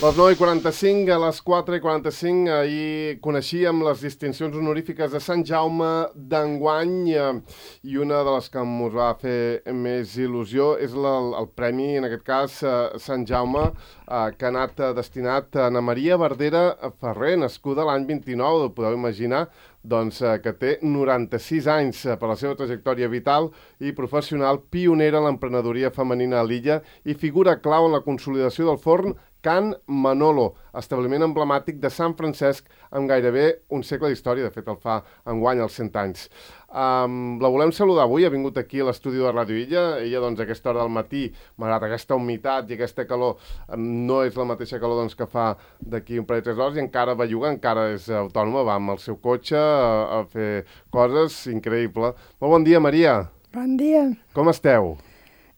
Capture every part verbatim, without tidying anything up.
Les nou i quaranta-cinc, a les quatre i quaranta-cinc, ahir coneixíem les distincions honorífiques de Sant Jaume d'enguany i una de les que ens va fer més il·lusió és la, el premi, en aquest cas, Sant Jaume, que ha anat destinat a Ana Maria Verdera Ferrer, nascuda l'any vint-i-nou, ho podeu imaginar, doncs, que té noranta-sis anys per la seva trajectòria vital i professional, pionera en l'emprenedoria femenina a l'illa i figura clau en la consolidació del forn Can Manolo, establiment emblemàtic de Sant Francesc amb gairebé un segle d'història, de fet el fa enguany als cent anys. Um, la volem saludar avui, ha vingut aquí a l'estudi de Ràdio Illa, ella doncs a aquesta hora del matí, malgrat aquesta humitat i aquesta calor, um, no és la mateixa calor doncs, que fa d'aquí un parell de tres hores i encara belluga, encara és autònoma, va amb el seu cotxe a, a fer coses, increïble. Molt bon dia, Maria. Bon dia. Com esteu?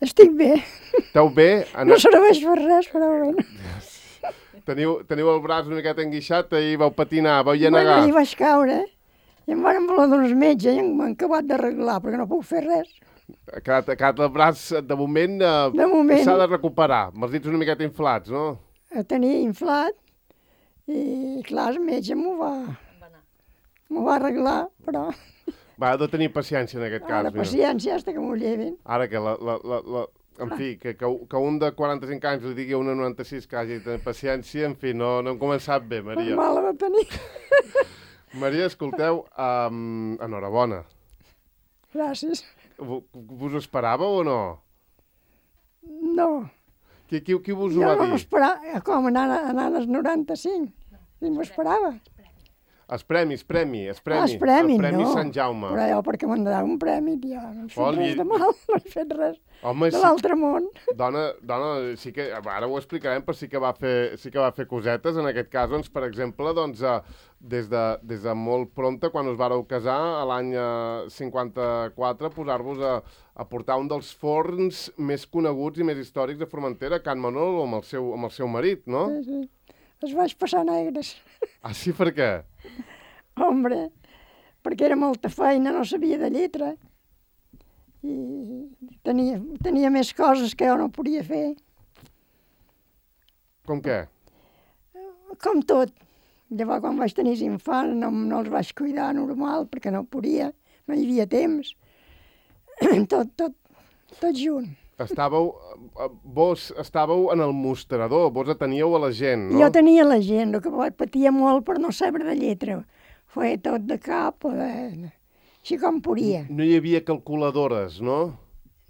Estic bé. Esteu bé? No serveix per res, però bé. Teniu, teniu el braç una miqueta enguixat i vau patinar, vau llenegar. Bueno, ahir vaig caure i em van voler d'uns metges i m'han acabat d'arreglar perquè no puc fer res. Ha quedat, ha quedat el braç, de moment, eh, de moment s'ha de recuperar, amb els dits una miqueta inflats, no? El tenia inflat i, clar, el metge m'ho va, m'ho va arreglar, però... Va, ha de tenir paciència en aquest cas. Ara, paciència, fins que m'ho llevin. Ara que, la, la, la, la, en fi, que, que, que un de quaranta-cinc anys li digui a una noranta-sis que hagi de tenir paciència, en fi, no, no hem començat bé, Maria. Mal va tenir. Maria, escolteu, um, enhorabona. Gràcies. Vos ho esperàveu o no? No. Qui, qui, qui vos ho jo va dir? Jo no m'esperava, com anant, anant als noranta-cinc, ni m'ho esperava. Els premis, premi, els premi, ah, els premi, el premi no. Sant Jaume. Però jo perquè m'han de dar un premi, tio, no he fet Oli... res de mal, no he fet res Home, de sí... l'altre món. Dona, dona, sí que, ara ho explicarem, però sí que va fer, sí que va fer cosetes, en aquest cas, doncs, per exemple, doncs, des, de, des de molt prompte, quan us vareu casar, a l'any cinquanta-quatre, posar-vos a, a portar un dels forns més coneguts i més històrics de Formentera, Can Manolo, amb el seu, amb el seu marit, no? Sí, sí. Els vaig passar negres. Ah, sí? Per què? Hombre, perquè era molta feina, no sabia de lletra i tenia, tenia més coses que jo no podia fer. Com què? Com tot. Llavors, quan vaig tenir infants, no, no els vaig cuidar normal perquè no podia, no hi havia temps. Tot, tot, tot junt. Estàveu, vos estàveu en el mostrador, vos ateníeu a la gent, no? Jo tenia la gent, el que patia molt per no saber de lletra. Feia tot de cap, de... així com podia. No hi havia calculadores, no?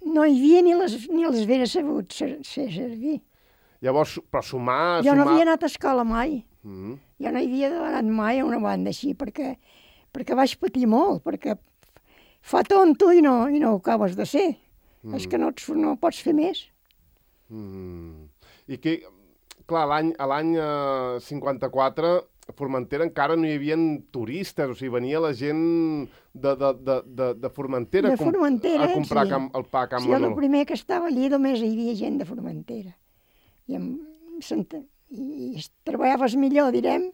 No hi havia ni les, ni les vera sabut ser, ser servir. Llavors, però sumar... Jo sumar... no havia anat a escola mai. Mm. Jo no havia anat mai a una banda així, perquè, perquè vaig patir molt, perquè fa tonto i no, i no ho acabes de ser. Mm. És que no, ets, no pots fer més. Mm. I que, clar, a l'any eh, cinquanta-quatre... a Formentera encara no hi havia turistes, o sigui, venia la gent de, de, de, de, de Formentera, de Formentera a comprar sí. cam, el pa a Can sí, Manolo. Sí, el primer que estava allí només hi havia gent de Formentera. I, amb, i, i treballaves millor, direm,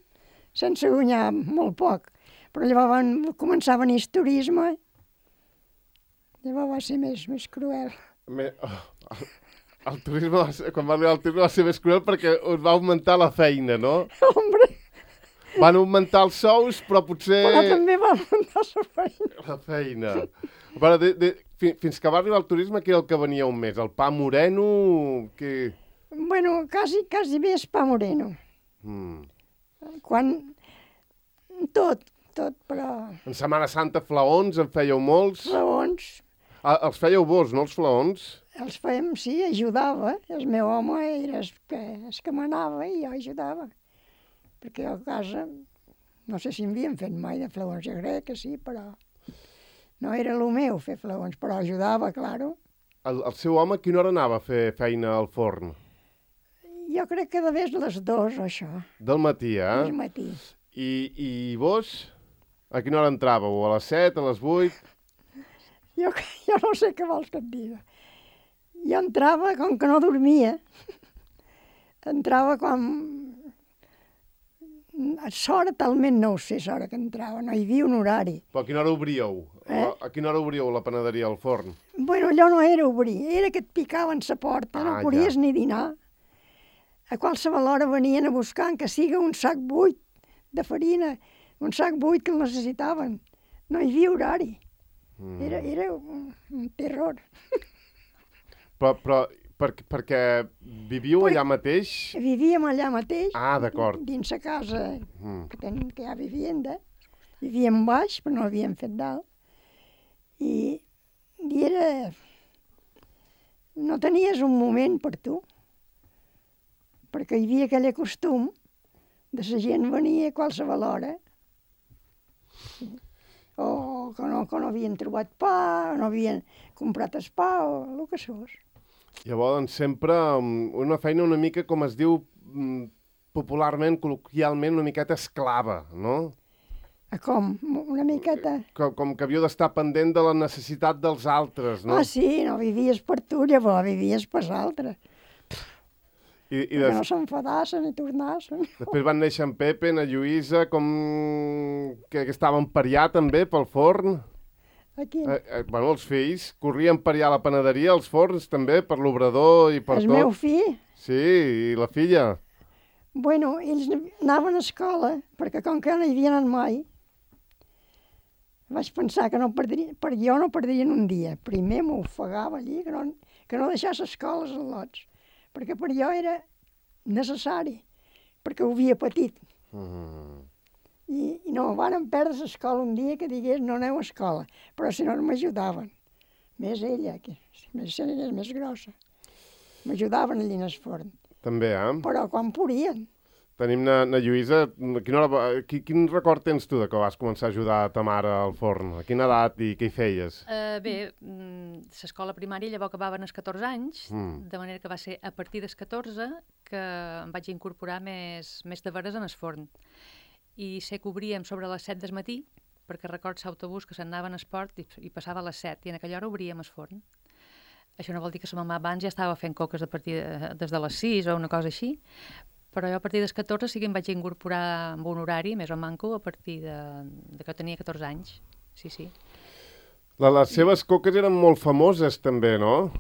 sense guanyar molt poc. Però llavors van començar a venir el turisme, llavors va ser més, més cruel. Me, oh, el, el turisme, quan va arribar el turisme va ser més cruel perquè us va augmentar la feina, no? Hombre! Van augmentar els sous, però potser... Però també va augmentar la feina. La feina. Però de, de, fins que va arribar el turisme, què era el que venia un mes? El pa moreno? Que... Bueno, quasi, quasi bé és pa moreno. Mm. Quan... Tot, tot, però... En Setmana Santa, flaons, en fèieu molts? Flaons. Ah, els fèieu vos, no els flaons? Els fèiem, sí, ajudava. El meu home era el que, el que manava i jo ajudava. Perquè a casa, no sé si m'havien fet mai de flaons, jo crec que sí, però no era el meu fer flaons, però ajudava, claro. El, el seu home a quina hora anava a fer feina al forn? Jo crec que de vegades les dues, això. Del matí, eh? Del matí. I, i vos? A quina hora entràveu? A les set, a les vuit? Jo, jo no sé què vols que et digui. Jo entrava, com que no dormia, entrava quan... L'hora talment no ho sé, l'hora que entrava, no hi havia un horari. Però a quina hora obríeu? Eh? A quina hora obríeu la panaderia, al forn? Bueno, allò no era obrir, era que et picaven la porta, Ah, no podies ja. ni dinar. a qualsevol hora venien a buscar, que siga un sac buit de farina, un sac buit que el necessitaven. No hi havia horari. Mm. Era, era un, un terror. Però, però per, perquè vivíeu per, allà mateix? Vivíem allà mateix. Ah, d'acord. Dins la casa, mm. que, ten, que hi ha vivienda. Vivíem baix, però no havíem fet dalt. I, i era... No tenies un moment per tu, perquè hi havia aquell costum de la gent venia a qualsevol hora, o que no, que no havien trobat pa, o no havien comprat el pa, o el que fos. Llavors, sempre una feina una mica, com es diu popularment, col·loquialment, una miqueta esclava, no? A com? Una miqueta? Com, com que havíeu d'estar pendent de la necessitat dels altres, no? Ah, sí, no vivies per tu, llavors vivies per l'altre. I, i des... des... no s'enfadassen i tornassen. Després van néixer en Pepe, en Lluïsa, com que, que estaven per allà també, pel forn. Aquí. Eh, eh, bueno, els fills corrien per allà a la panaderia, els forns també, per l'obrador i per el tot. El meu fill? Sí, i la filla? Bueno, ells anaven a escola, perquè com que no hi havien anat mai, vaig pensar que no perdria, per jo no perdrien un dia. Primer m'ofegava allí, que no, que no deixés escoles als lots, perquè per jo era necessari, perquè ho havia patit. Mm. I, i no, van perdre l'escola un dia que digués no aneu a escola, però si no m'ajudaven. Més ella, que més, és més grossa. M'ajudaven allà en el forn. També, eh? Però quan podien. Tenim na, na Lluïsa. Quina hora, quin, quin record tens tu de que vas començar a ajudar a ta mare al forn? A quina edat i què hi feies? Uh, bé, l'escola primària llavors acabaven els catorze anys, mm. de manera que va ser a partir dels catorze que em vaig incorporar més, més de veres en el forn. I sé que obríem sobre les set del matí, perquè recordo l'autobús que s'anava en esport i, i passava a les set, i en aquella hora obríem el forn. Això no vol dir que la mamà abans ja estava fent coques a partir de, des de les sis o una cosa així, però jo a partir dels catorze sí que em vaig incorporar amb un horari més o manco a partir de, de que tenia catorze anys. Sí, sí. La, les seves coques eren molt famoses també, no?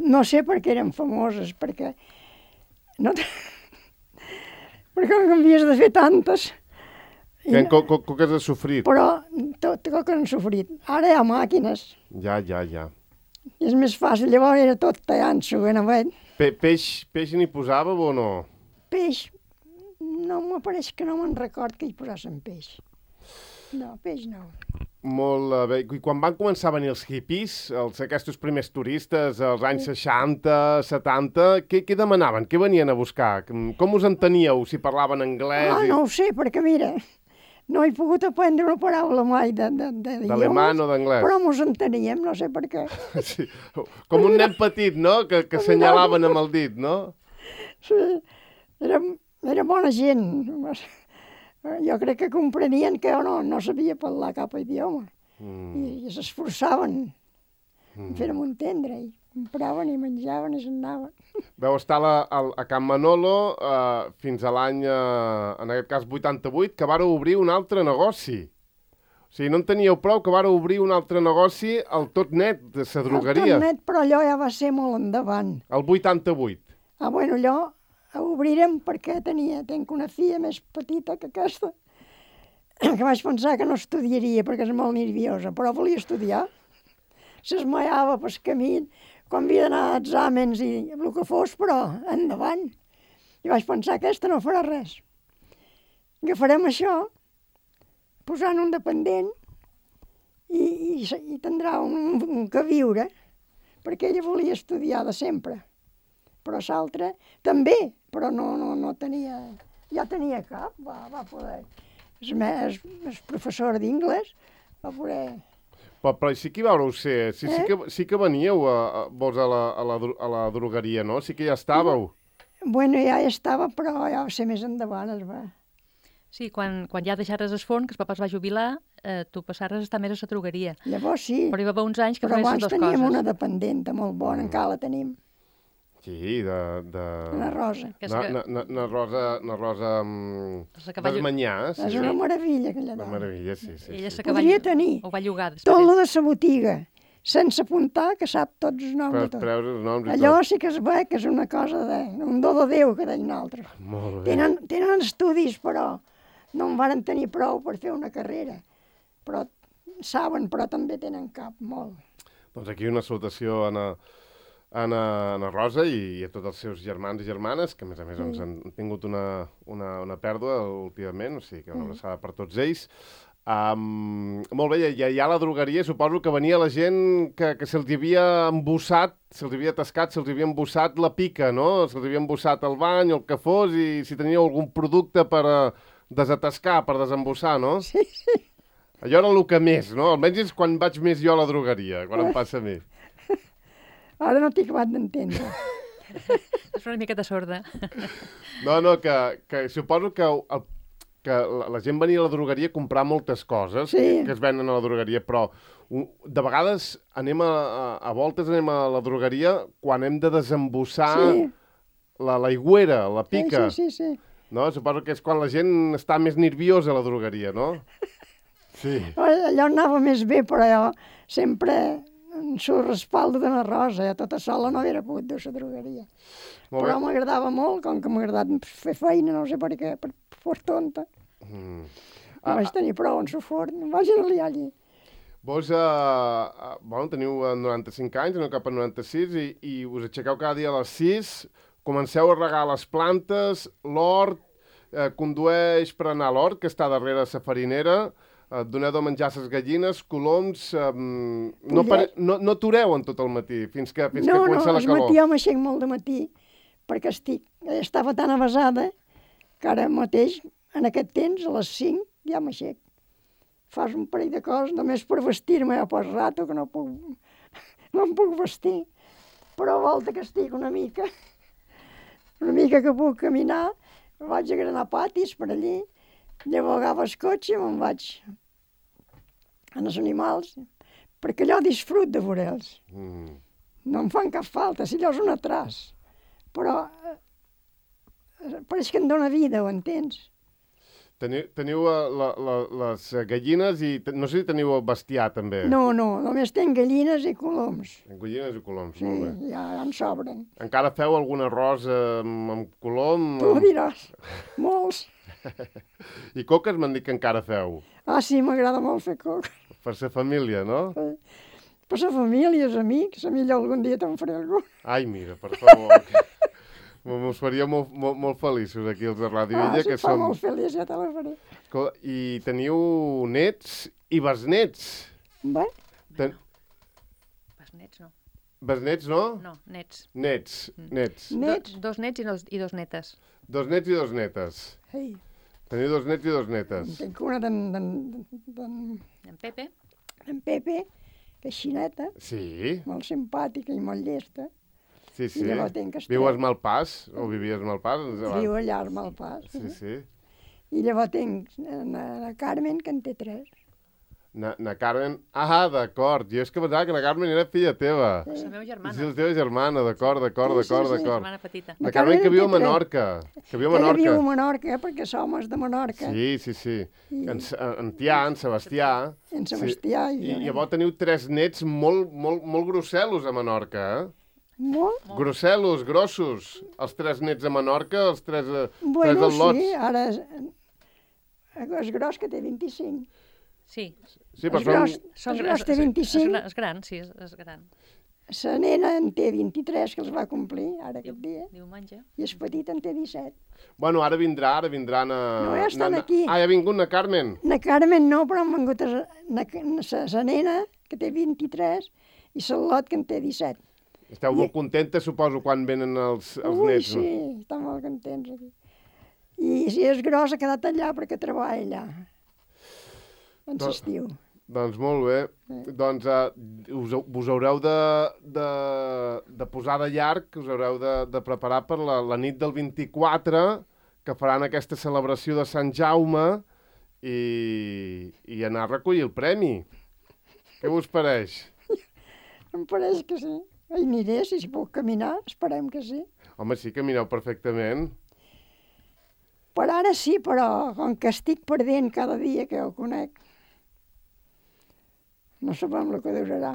No sé per què eren famoses, perquè... No perquè no havies de fer tantes. Que en co co coques has sofrit. Però tot coques han sofrit. Ara hi ha màquines. Ja, ja, ja. I és més fàcil, llavors era tot tallant-s'ho ben avet. Pe peix, peix n'hi posàveu o no? Peix, no m'apareix que no me'n record que hi posassin peix. No, peix no. Molt bé. I quan van començar a venir els hippies, els, aquests primers turistes, als anys seixanta, setanta, què, què demanaven? Què venien a buscar? Com us enteníeu, si parlaven anglès? Ah, i... no ho sé, perquè mira, no he pogut aprendre una paraula mai de, de, de d'alemany o d'anglès. Però mos enteníem, no sé per què. Sí. Com un nen petit, no?, que, que assenyalaven amb el dit, no? Sí, era, era bona gent. Jo crec que comprenien que jo no, no sabia parlar cap idioma. Mm. I, i s'esforçaven mm. fer-me entendre. I compraven i menjaven i s'anaven. Vau estar a, a, a Can Manolo eh, fins a l'any, eh, en aquest cas, vuitanta-vuit, que vareu obrir un altre negoci. O sigui, no en teníeu prou que vareu obrir un altre negoci al Tot Net, de la drogueria. El Tot Net, però allò ja va ser molt endavant. El vuitanta-vuit. Ah, bueno, allò ho obrirem perquè tenia, tenc una filla més petita que aquesta, que vaig pensar que no estudiaria perquè és molt nerviosa, però volia estudiar. S'esmaiava pel camí, quan havia d'anar a exàmens i el que fos, però endavant. I vaig pensar, aquesta no farà res. Agafarem això, posant un dependent, i, i, i tindrà un, un que viure, perquè ella volia estudiar de sempre. Però l'altre també, però no, no, no tenia... Ja tenia cap, va, va poder... És més, és professor d'inglès, va poder... Però, però sí que hi vareu ser, sí, eh? sí, que, sí que veníeu a, a, vos a la, a, la, a la drogueria, no? Sí que ja estàveu. Bueno, ja hi estava, però ja va ser més endavant, es va. Sí, quan, quan ja deixares el forn, que el papa es va jubilar, eh, tu passares a estar més a la drogueria. Llavors sí. Però hi va haver uns anys que però feies les dues coses. Però abans teníem una dependenta molt bona, mm. encara la tenim. Sí, de... de... Na Rosa. Na, na, na, na Rosa... Na Rosa... Um, Desmanyà, sí. És una meravilla, aquella dona. Una meravilla, sí, sí. Ella sí. Podria tenir ho va llogar tot lo de sa botiga sense apuntar, que sap tots els noms Per de tot. preus els noms i Allò tot. sí que es ve que és una cosa de... un do de Déu, que deien altres. Molt bé. Tenen, tenen estudis, però no en varen tenir prou per fer una carrera. Però saben, però també tenen cap, molt. Doncs aquí una salutació a Anna, Anna, Anna Rosa i, i a tots els seus germans i germanes, que a més a més Sí. doncs, han tingut una, una, una pèrdua últimament, o sigui que una abraçada per tots ells. Um, molt bé, i allà a la drogueria suposo que venia la gent que, que se'ls havia embussat, se'ls havia atascat, se'ls havia embussat la pica, no? Se'ls havia embussat el bany o el que fos, i si teníeu algun producte per uh, desatascar, per desembussar, no? Sí, sí. Allò era el que més, no? Almenys és quan vaig més jo a la drogueria, quan em passa a mi. Ara no t'he acabat d'entendre. És una miqueta sorda. No, no, que, que suposo que, el, que la, la gent venia a la drogueria a comprar moltes coses Sí. que es venen a la drogueria, però un, de vegades anem a, a, a voltes anem a la drogueria quan hem de desembussar Sí. la l'aigüera, la pica. Sí, sí, sí, sí. No? Suposo que és quan la gent està més nerviosa a la drogueria, no? Sí. Allò anava més bé, però jo sempre en su respaldo de la Rosa, jo tota sola no hauria pogut dur la drogueria. Molt Però bé. m'agradava molt, com que m'ha agradat fer feina, no sé per què, per fos tonta. Mm. No Ah, vaig tenir prou en su forn, em vaig anar allí. Vos, uh, uh, bueno, teniu uh, noranta-cinc anys, no cap a noranta-sis, i, i us aixequeu cada dia a les sis, comenceu a regar les plantes, l'hort, eh, condueix per anar a l'hort, que està darrere la farinera, eh, doneu de menjar les gallines, coloms, eh, no, pare, no, no atureu en tot el matí, fins que, fins no, que no, comença la el calor. matí jo m'aixec molt de matí, perquè estic, estava tan avasada que ara mateix, en aquest temps, a les cinc, ja m'aixec. Fas un parell de coses, només per vestir-me, ja pas rato, que no puc, no em puc vestir. Però a volta que estic una mica, una mica que puc caminar, vaig a granar patis per allí, llavors agafo el cotxe i me'n vaig a els animals, perquè allò disfrut de veure'ls. Mm. No em fan cap falta, si allò és un atràs. Però eh, pareix que em dóna vida, ho entens? Teniu, teniu uh, la, la, les gallines i te, no sé si teniu el bestiar també. No, no, només tenc gallines i coloms. Gallines i coloms, Sí, molt bé. ja, ja en sobren. Encara feu algun arròs amb, amb colom? Tu ho diràs, molts. I coques m'han dit que encara feu. Ah, sí, m'agrada molt fer coca. Per la família, no? Per la família, els amics, a millor algun dia te'n faré algun. Ai, mira, per favor. Mos faria molt, molt, molt feliços aquí els de Ràdio Ah, Illa, si que et fa som... molt feliç, ja te la faré. Escolta, I teniu nets i besnets. Bé, Ten... Pas nets, no. Besnets, no? No, nets. Nets, nets. nets. Do, dos nets i dos, i dos netes. Dos nets i dos netes. Ei, Teniu dos nets i dos en netes. tinc una d'en d'en d'en En Pepe, d'en Pepe, que és xineta, Sí, molt simpàtica i molt llesta. sí, sí. I llavors tinc Esther. Viu a Malpàs, o vivies a Malpàs? Viu allà al Malpàs. Sí, sí. I llavors tinc na, na Carmen, que en té tres. Na, na Carmen... Ah, d'acord. Jo és que pensava que la Carmen era filla teva. la meva germana. Sí, la teva germana, d'acord, d'acord, Sí, sí, d'acord, sí. d'acord. Germana petita. La La Carmen Carmen que viu a té tres. Menorca. Que viu a Ella viu a Menorca. Menorca, perquè som els de Menorca. Sí, sí, sí. I- En, S- en Tià, en Sebastià. En Sebastià i I jo. llavors teniu tres nets molt, molt, molt grosselos a Menorca, eh? Molt? Grosselos, grossos. Els tres nets a Menorca, els tres, eh, Bueno, tres al·lots. sí, ara és, és gros que té vint-i-cinc. Sí, Sí, però és són... gros, són és grans. gros té vint-i-cinc. És, és gran, sí, és, és gran. La nena en té vint-i-tres, que els va complir ara aquest dia, Diumenge. i el petit en té disset. Bueno, ara vindrà, ara vindran a... No, ja estan na- na- aquí. Ah, ja ha vingut na Carmen. Na Carmen no, però han vengut la nena, que té vint-i-tres, i la Lot, que en té disset. Esteu molt contentes, suposo, quan venen els, els Ui, nets, sí, no? estan molt contents aquí. I si és gros, ha quedat allà perquè treballa allà, en Do- l'estiu. Doncs molt bé. Doncs uh, us, vos haureu de, de, de posar de llarg, us haureu de, de preparar per la, la nit del vint-i-quatre, que faran aquesta celebració de Sant Jaume, i, i anar a recollir el premi. Què us pareix? Em pareix que sí. Hi aniré, si puc caminar, esperem que sí. Home, sí, camineu perfectament. Per ara sí, però com que estic perdent cada dia que ho conec, no sabem el que durarà.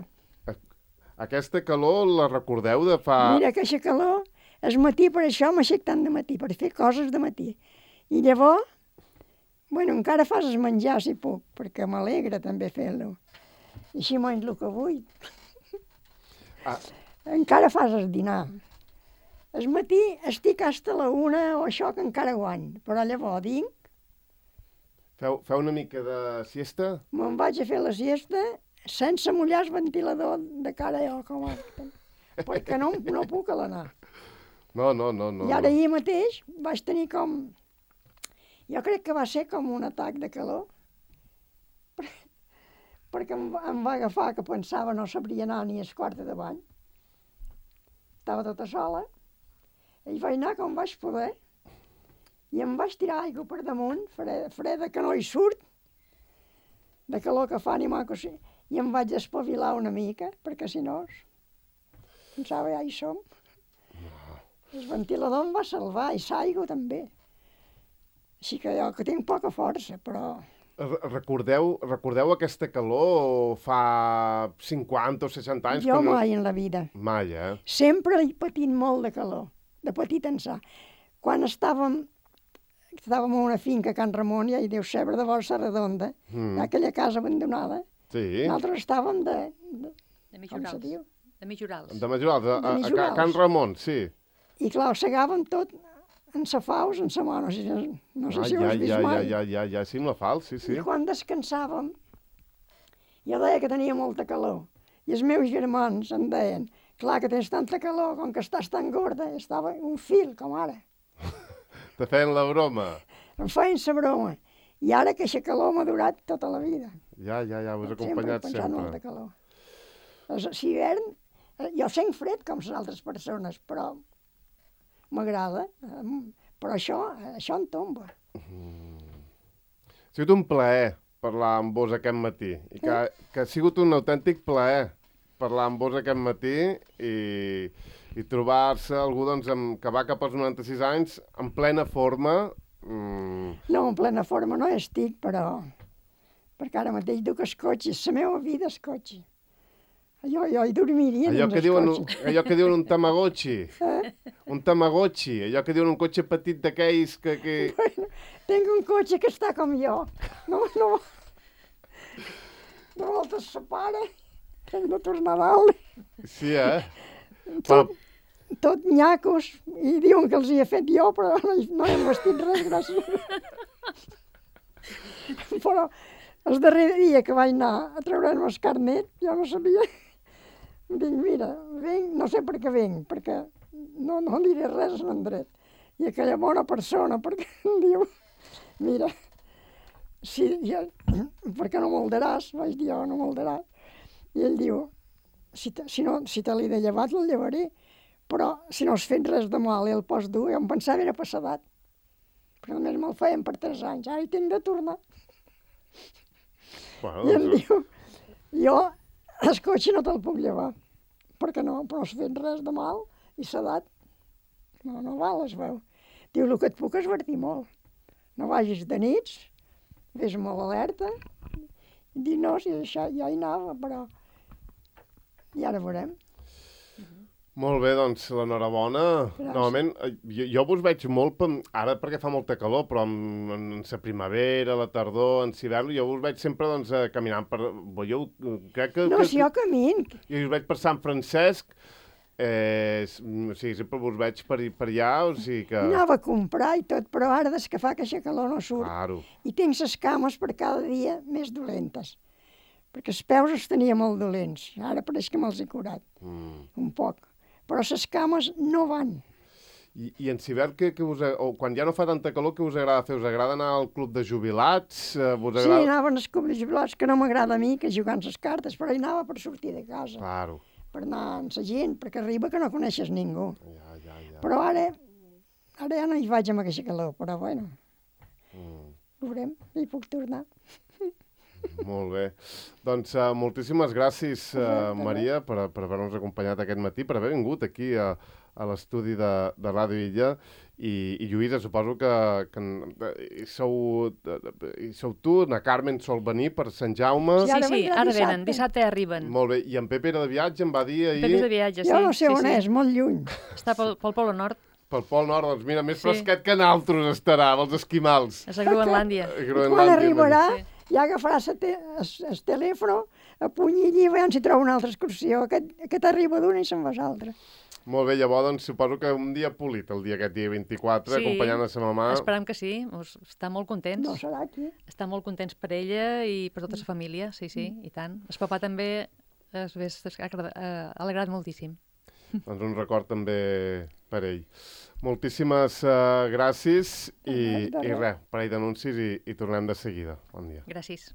Aquesta calor la recordeu de fa... Mira, aquesta calor, el matí per això m'aixec tant de matí, per fer coses de matí. I llavors, bueno, encara fas el menjar si puc, perquè m'alegra també fer-lo. I així menys el que vull. Ah. Encara fas el dinar. El matí estic hasta la una o això que encara guany, però llavors vinc, Feu, feu una mica de siesta? me'n vaig a fer la siesta sense mullar el ventilador de cara jo, com a... perquè no, no puc a l'anar. No, no, no, no. I ara no. ahir mateix vaig tenir com... Jo crec que va ser com un atac de calor, perquè em, va- em va agafar que pensava no sabria anar ni al quart de bany. Estava tota sola, i vaig anar com vaig poder, i em vaig tirar aigua per damunt, freda, freda que no hi surt, de calor que fa ni maco, sí. I em vaig espavilar una mica, perquè si no, pensava, ja hi som. El ventilador em va salvar, i l'aigua també. Així que jo, que tinc poca força, però... Re- Recordeu, recordeu aquesta calor fa cinquanta o seixanta anys? Jo quan no- mai en la vida. Mai, eh? Sempre he patit molt de calor, de petit ençà. Quan estàvem, estàvem a una finca a Can Ramon, ja hi deu saber, de Borsa Redonda, Mm. aquella casa abandonada, Sí. nosaltres estàvem de... de De com se Mijorals. diu? De Mijorals. De Majorals, a, De a, a, Mijorals. Can Ramon, sí. I clar, ho segàvem tot en sa faus, en sa mà, no sé, si- no sé Ah, si ho ja, has vist ja, ja, mai. ja, ja, ja, sí, amb la fal, sí, sí. I quan descansàvem, jo deia que tenia molta calor. I els meus germans em deien, clar que tens tanta calor, com que estàs tan gorda, estava un fil, com ara. Te feien la broma. Em feien sa broma. I ara que aquesta calor m'ha durat tota la vida. Ja, ja, ja, us he Sempre he acompanyat pensat molt de sempre. calor. És- Si hivern, eh, jo sent fred com les altres persones, però m'agrada. em- Però això, això em tomba. Ha sigut un plaer parlar amb vos aquest matí. I que, que ha sigut un autèntic plaer parlar amb vos aquest matí i, i trobar-se algú doncs, amb, que va cap als noranta-sis anys en plena forma. Mm, No, en plena forma no estic, però... Perquè ara mateix duc el cotxe, la meva vida és cotxe. Jo, jo hi dormiria allò, dins que el diuen, cotxe. allò que diuen un tamagotchi. Eh? Un tamagotchi. Allò que diuen un cotxe petit d'aquells que... que... Bueno, tinc un cotxe que està com jo. No, no... De voltes se para, hem de tornar a dalt. Sí, eh? Tot, tot nyacos, i diuen que els hi he fet jo, però no, hi- no he vestit res, gràcies. Però el darrer dia que vaig anar a treure'm el carnet, jo no sabia. Dic, mira, vinc, no sé per què vinc, perquè no, no diré res a l'Andret. I aquella bona persona, perquè em diu, mira, si, ja, perquè no moldaràs, vaig dir jo, no moldaràs. I ell diu, si te, si no, si te l'he de llevar, te'l llevaré, però si no has fet res de mal i el pots dur, jo em pensava era passadat. Però només me'l feien per tres anys, ara hi tinc de tornar. Bueno, I em doncs, diu, jo el cotxe no te'l puc llevar, perquè no, però has fet res de mal i s'edat. No, no val, es veu. Diu, el que et puc esvertir molt. No vagis de nits, vés molt alerta. I dic, no, si això ja hi anava, però... I ara veurem. molt bé, doncs, l'enhorabona. Gràcies. Normalment, eh, jo, jo vos veig molt, pem- ara perquè fa molta calor, però en, en, en la primavera, la tardor, en l'hivern, jo vos veig sempre doncs, eh, caminant per... Veieu, crec que... No, que, si jo camin, Jo us veig per Sant Francesc, eh, s- o sigui, sempre vos veig per, i- per allà, o sigui que... anava a comprar i tot, però ara des que fa que aquesta calor no surt. Claro. I tinc les cames per cada dia més dolentes. Perquè els peus els tenia molt dolents. Ara pareix que me'ls he curat, Mm. un poc. Però les cames no van. I, i en hivern, que, que us, a- o quan ja no fa tanta calor, què us agrada fer? Us agrada anar al club de jubilats? Eh, vos Sí, agrada... anaven als clubs jubilats, que no m'agrada a mi, que jugant les cartes, però hi anava per sortir de casa, Claro. per anar amb la gent, perquè arriba que no coneixes ningú. Ja, ja, ja. Però ara, ara ja no hi vaig amb aquesta calor, però bueno, Mm. veurem, hi puc tornar. Molt bé. Doncs uh, moltíssimes gràcies, uh, Exacte. Maria, per, per haver-nos acompanyat aquest matí, per haver vingut aquí a, a l'estudi de, de Ràdio Illa. I, i Lluïsa, suposo que, que hi sou, hi sou tu, na Carmen sol venir per Sant Jaume. Sí, Sí, ara sí, vendrà ara dissabte. venen, dissabte arriben. Molt bé, i en Pepe era de viatge, em va dir ahir... Pepe és de viatge, sí. Jo no sé sí, on sí. és, molt lluny. Està pel, pel Polo Nord, pel Pol Nord, doncs mira, més Sí. fresquet que nosaltres estarà, els esquimals. és a Groenlàndia. A I Groenlàndia, quan arribarà, Sí. ja agafarà el te el telèfon, a puny i llibre, on s'hi troba una altra excursió. Aquest, aquest arriba d'una i se'n va a l'altra. Molt bé, llavors, doncs, suposo que un dia polit, el dia aquest dia vint-i-quatre, Sí. acompanyant a sa mamà. Esperam que sí, us, està molt contents. No serà aquí. Està molt contents per ella i per tota la família, sí, sí, i tant. El papà també es ve ha alegrat moltíssim. Doncs un record també per ell. Moltíssimes uh, gràcies i, De res, de i res. res, parell d'anuncis i, i tornem de seguida. Bon dia. Gràcies.